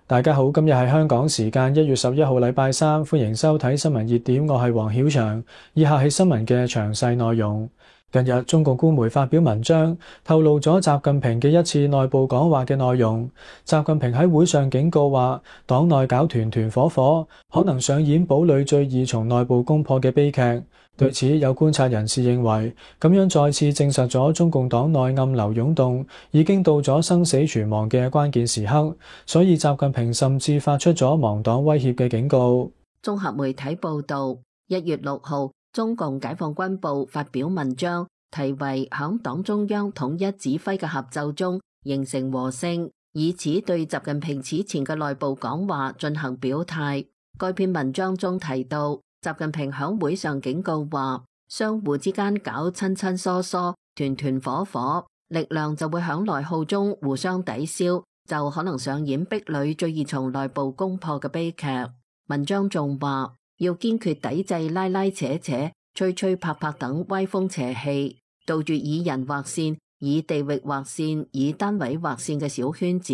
大家好，今日係香港時間1月11號禮拜三，歡迎收睇新聞熱點，我係黃曉翔。以下係新聞嘅詳細內容。近日中共官媒發表文章，透露咗習近平嘅一次內部講話嘅內容。習近平喺會上警告話，黨內搞團團伙伙，可能上演堡壘最易從內部攻破嘅悲劇。對此，有觀察人士認為，咁樣再次證實咗中共黨內暗流湧動，已經到咗生死存亡嘅關鍵時刻，所以習近平甚至發出咗亡黨威脅嘅警告。綜合媒體報道，1月6號，中共解放軍報發表文章，題為響黨中央統一指揮嘅合奏中形成和聲，以此對習近平此前嘅內部講話進行表態。該篇文章中提到，習近平響會上警告話，相互之間搞親親疏疏、團團伙伙，力量就會響內耗中互相抵消，就可能上演壁壘最易從內部攻破嘅悲劇。文章仲話，要堅決抵制拉拉扯扯、吹吹拍拍等歪風邪氣，杜絕以人劃線、以地域劃線、以單位劃線嘅小圈子。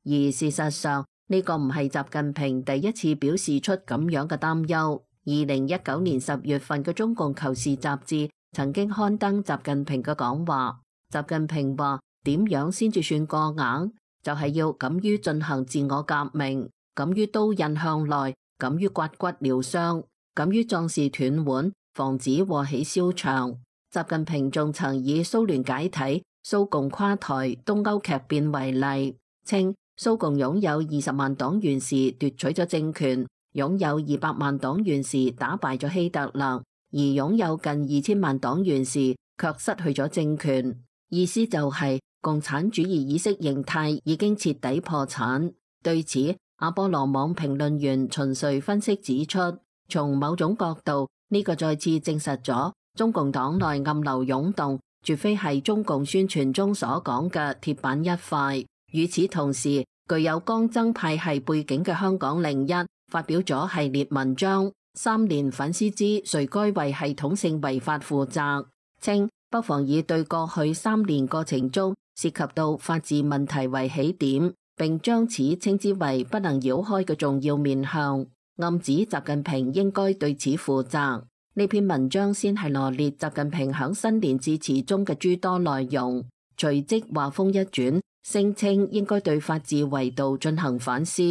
而事實上，呢個唔係習近平第一次表示出咁樣嘅擔憂。2019年10月份嘅中共求是雜誌曾經刊登習近平嘅講話。習近平話，點樣先至算過硬？就係要敢於進行自我革命，敢於刀刃向內，敢於刮骨療傷，敢於壯士斷腕，防止禍起蕭牆。習近平仲曾以蘇聯解體、蘇共垮台、東歐劇變為例，稱蘇共擁有20萬黨員時奪取咗政權，擁有200萬黨員時打敗咗希特勒，而擁有近2000萬黨員時卻失去咗政權。意思就係共產主義意識形態已經徹底破產。對此，阿波羅網評論員秦瑞分析指出，從某種角度，呢個再次證實咗中共黨內暗流湧動，絕非係中共宣傳中所講嘅鐵板一塊。與此同時，具有江增派系背景嘅香港01發表咗系列文章，3年反思之誰該為系統性違法負責，稱不妨以對過去3年過程中涉及到法治問題為起點，並將此稱之為不能繞開嘅重要面向，暗指習近平應該對此負責。呢篇文章先係羅列習近平響新年致辭中嘅諸多內容，隨即話風一轉，聲稱應該對法治維度進行反思。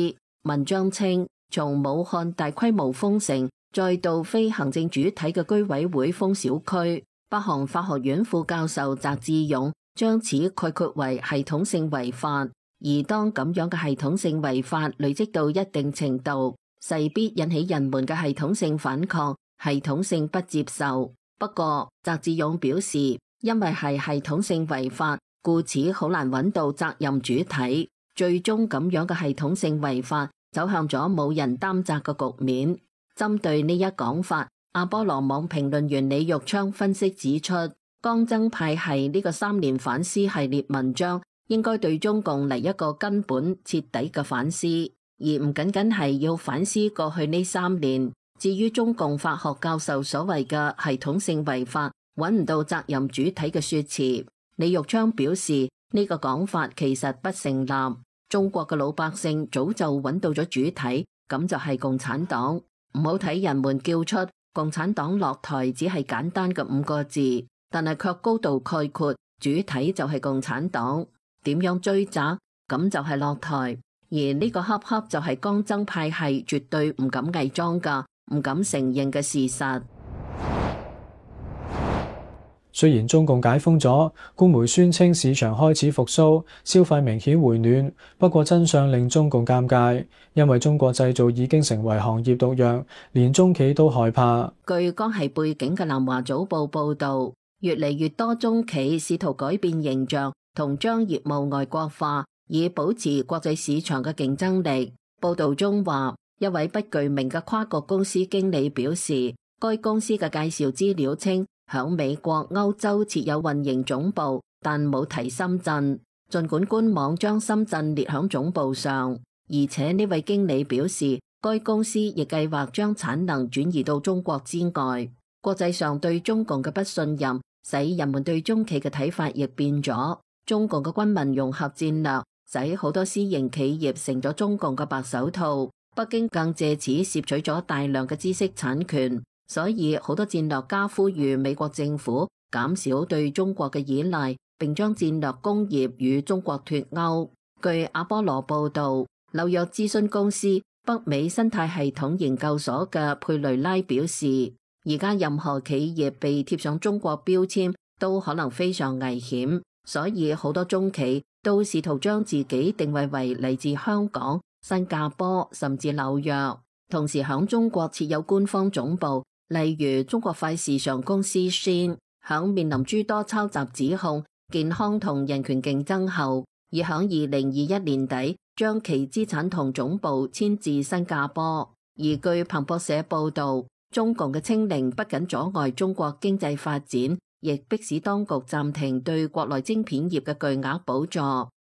文章稱，從武漢大規模封城，再到非行政主體嘅居委會封小區，北韓法學院副教授翟志勇將此概括為系統性違法。而當咁樣嘅系統性違法累積到一定程度，勢必引起人們嘅系統性反抗、系統性不接受。不過，翟志勇表示，因為係系統性違法，故此好難揾到責任主體，最終咁樣嘅系統性違法走向咗冇人擔責嘅局面。針對呢一講法，阿波羅網評論員李玉昌分析指出，江增派系呢個3年反思系列文章應該對中共嚟一個根本徹底嘅反思，而唔僅僅係要反思過去呢3年。至於中共法學教授所謂嘅系統性違法揾唔到責任主體嘅說辭，李玉昌表示呢個講法其實不成立。中國嘅老百姓早就揾到咗主體，咁就係共產黨。唔好睇人們叫出共產黨落台只係簡單嘅5個字，但係卻高度概括主體就係共產黨。點樣追責？咁就係落台。而呢個恰恰就係江增派系絕對唔敢偽裝噶，唔敢承認嘅事實。雖然中共解封咗，官媒宣稱市場開始復甦，消費明顯回暖，不過真相令中共尷尬，因為中國製造已經成為行業毒藥，連中企都害怕。據江系背景嘅南華早報報導，越嚟越多中企試圖改變形象同將業務外國化，以保持國際市場嘅競爭力。報導中話，一位不具名嘅跨國公司經理表示，該公司嘅介紹資料稱，響美國、歐洲設有運營總部，但冇提深圳。儘管官網將深圳列響總部上，而且呢位經理表示，該公司亦計劃將產能轉移到中國之外。國際上對中共嘅不信任，使人們對中企嘅睇法亦變咗。中共嘅軍民融合戰略使好多私營企業成咗中共嘅白手套。北京更借此攝取咗大量嘅知識產權，所以好多戰略家呼籲美國政府減少對中國嘅依賴，並將戰略工業與中國脫鈎。據阿波羅報導，紐約諮詢公司北美生態系統研究所嘅佩雷拉表示，而家任何企業被貼上中國標籤都可能非常危險，所以好多中企都試圖將自己定位為嚟自香港、新加坡甚至紐約，同時響中國設有官方總部，例如中國快時尚公司 Shein， 響面臨諸多抄襲指控、健康同人權競爭後，已響2021年底將其資產同總部遷至新加坡。而據彭博社報道，中共嘅清零不僅阻礙中國經濟發展，亦迫使當局暫停對國內晶片業嘅巨額補助，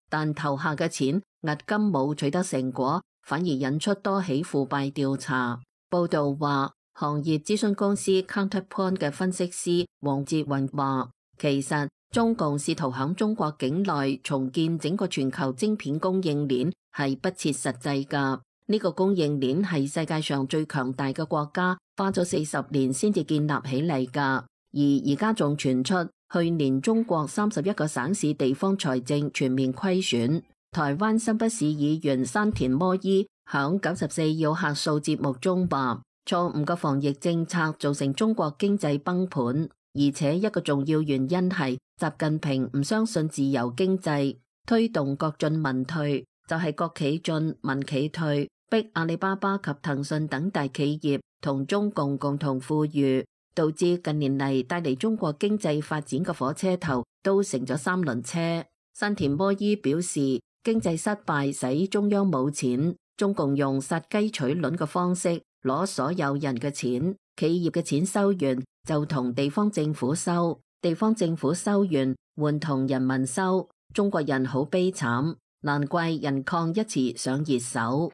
但投下嘅錢押金冇取得成果，反而引出多起腐敗調查。報道話，行業諮詢公司 Counterpoint 嘅分析師黃哲雲話，其實中共試圖響中國境內重建整個全球晶片供應鏈係不切實際㗎。呢個供應鏈係世界上最強大嘅國家花咗40年先至建立起嚟㗎。而家仲傳出去年中國31個省市地方財政全面虧損。台灣新北市議員山田摩依響94要客數節目中話，錯誤嘅防疫政策造成中國經濟崩盤，而且一個重要原因係習近平唔相信自由經濟，推動國進民退，就係國企進民企退，逼阿里巴巴及騰訊等大企業同中共共同富裕，導致近年嚟帶嚟中國經濟發展嘅火車頭都成咗三輪車。山田摩依表示，經濟失敗使中央冇錢，中共用殺雞取卵嘅方式攞所有人嘅錢，企業嘅錢收完就同地方政府收，地方政府收完換同人民收，中國人好悲慘，難怪人抗一詞上熱搜。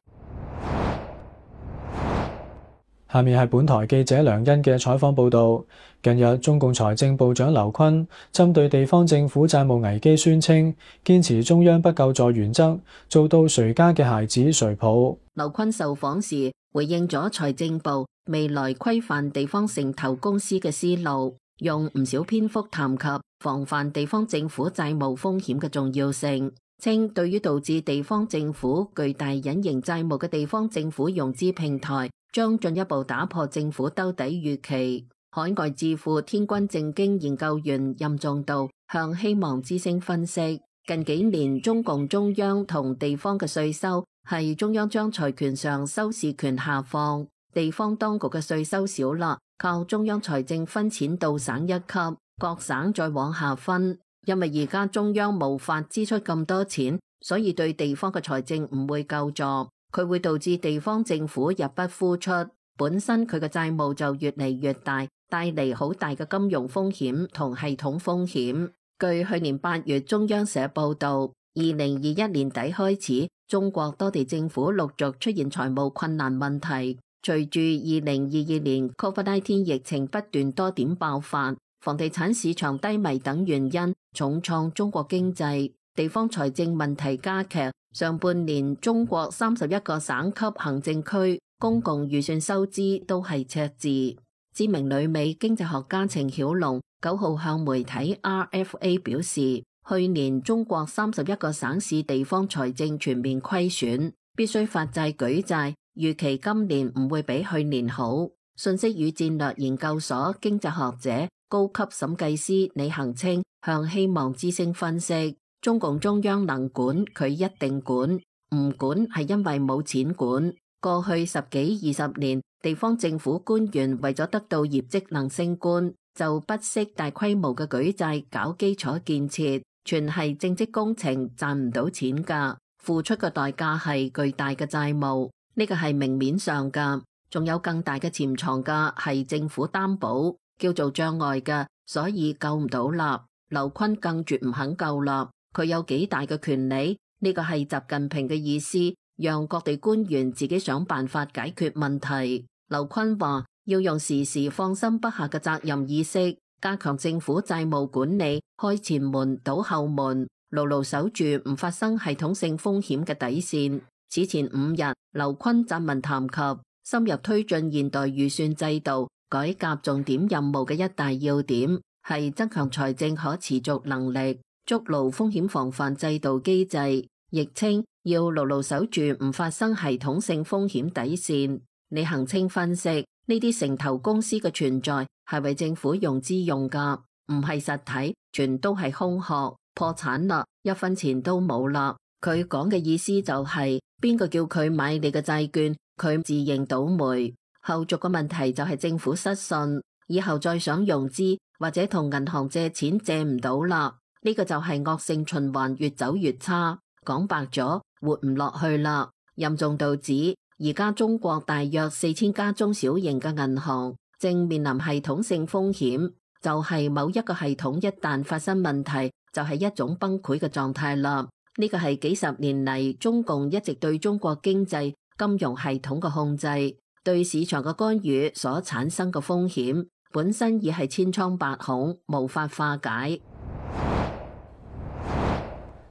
下面係本台記者梁欣嘅採訪報導。近日，中共財政部長劉昆針對地方政府債務危機宣稱，堅持中央不救助原則，做到誰家嘅孩子誰抱。劉昆受訪時回應咗財政部未來規範地方城投公司嘅思路，用唔少篇幅談及防範地方政府債務風險嘅重要性，稱對於導致地方政府巨大隱形債務嘅地方政府融資平台，將進一步打破政府兜底預期。海外智庫天君正經研究員任仲道向希望之聲分析，近幾年中共中央同地方嘅稅收係中央將財權上收視權下放，地方當局嘅稅收少啦，靠中央財政分錢到省一級，各省再往下分。因為而家中央無法支出咁多錢，所以對地方嘅財政唔會救助，佢會導致地方政府入不敷出，本身佢嘅債務就越嚟越大，帶嚟好大嘅金融風險同系統風險。據去年8月中央社報道，2021年底開始，中國多地政府陸續出現財務困難問題。隨住2022年 COVID-19 疫情不斷多點爆發，房地產市場低迷等原因重創中國經濟，地方財政問題加劇。上半年中國31個省級行政區公共預算收支都係赤字。知名旅美經濟學家程曉龍9號向媒體 RFA 表示，去年中國31個省市地方財政全面虧損，必須發債舉債，預期今年唔會比去年好。信息與戰略研究所經濟學者高級審計師李恒清向希望之聲分析，中共中央能管佢一定管，唔管係因為冇錢管。過去10幾20年，地方政府官員為咗得到業績能升官，就不惜大規模嘅舉債搞基礎建設，全係政績工程，賺唔到錢㗎，付出嘅代價係巨大嘅債務，呢個係明面上㗎，仲有更大嘅潛藏㗎，係政府擔保，叫做障礙㗎，所以救唔到啦。劉昆更絕唔肯救啦，佢有幾大嘅權利？呢個係習近平嘅意思，讓各地官員自己想辦法解決問題。劉昆話要用時時放心不下嘅責任意識，加強政府債務管理，開前門堵後門，牢牢守住唔發生系統性風險嘅底線。此前5日，劉昆撰文談及深入推進現代預算制度改革重點任務嘅一大要點係增強財政可持續能力，築牢風險防範制度機制，亦稱要牢牢守住唔發生系統性風險底線。李恒清分析，呢啲城投公司嘅存在係為政府融資用㗎，唔係實體，全都係空殼，破產啦，一分錢都冇啦。佢講嘅意思就係邊個叫佢買你嘅債券，佢自認倒霉。後續嘅問題就係政府失信，以後再想融資或者同銀行借錢借唔到啦。呢個就係惡性循環，越走越差。講白咗，活唔落去啦。任重道指，而家中國大約4000家中小型嘅銀行正面臨系統性風險，就係某一個系統一旦發生問題，就係一種崩潰嘅狀態啦。呢個係幾十年嚟中共一直對中國經濟金融系統嘅控制，對市場嘅干預所產生嘅風險，本身已係千瘡百孔，無法化解。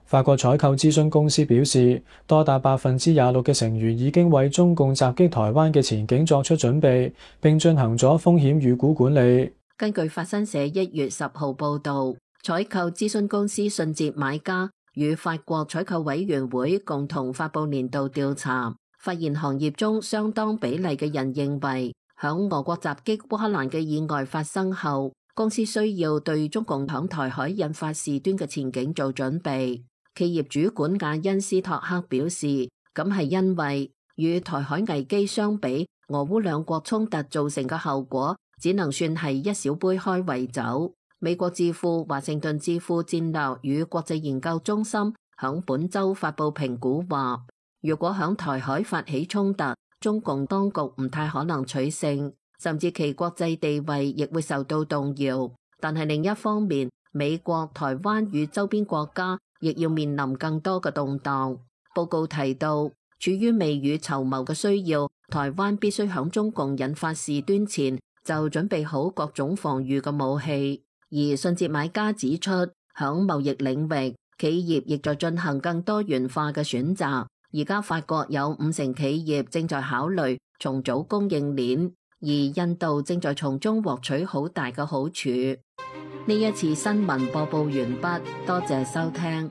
法國採購諮詢公司表示，多達26%嘅成員已經為中共襲擊台灣嘅前景作出準備，並進行咗風險預估管理。根據法新社1月10號報導，採購諮詢公司信捷買家與法國採購委員會共同發布年度調查，發現行業中相當比例嘅人認為，響俄國襲擊烏克蘭嘅意外發生後，公司需要對中共響台海引發事端嘅前景做準備。企業主管亞恩斯托克表示，咁係因為與台海危機相比，俄烏兩國衝突造成嘅後果只能算係一小杯開胃酒。美國智庫華盛頓智庫戰略與國際研究中心響本周發布評估話，如果響台海發起衝突，中共當局唔太可能取勝，甚至其國際地位亦會受到動搖。但係另一方面，美國、台灣與周邊國家亦要面臨更多嘅動盪。報告提到，處於未雨綢繆嘅需要，台灣必須響中共引發事端前就準備好各種防禦嘅武器。而信捷買家指出，響貿易領域，企業亦在進行更多元化嘅選擇。而家法國有50%企業正在考慮重組供應鏈，而印度正在從中獲取好大嘅好處。呢一次新聞播報完畢，多謝收聽。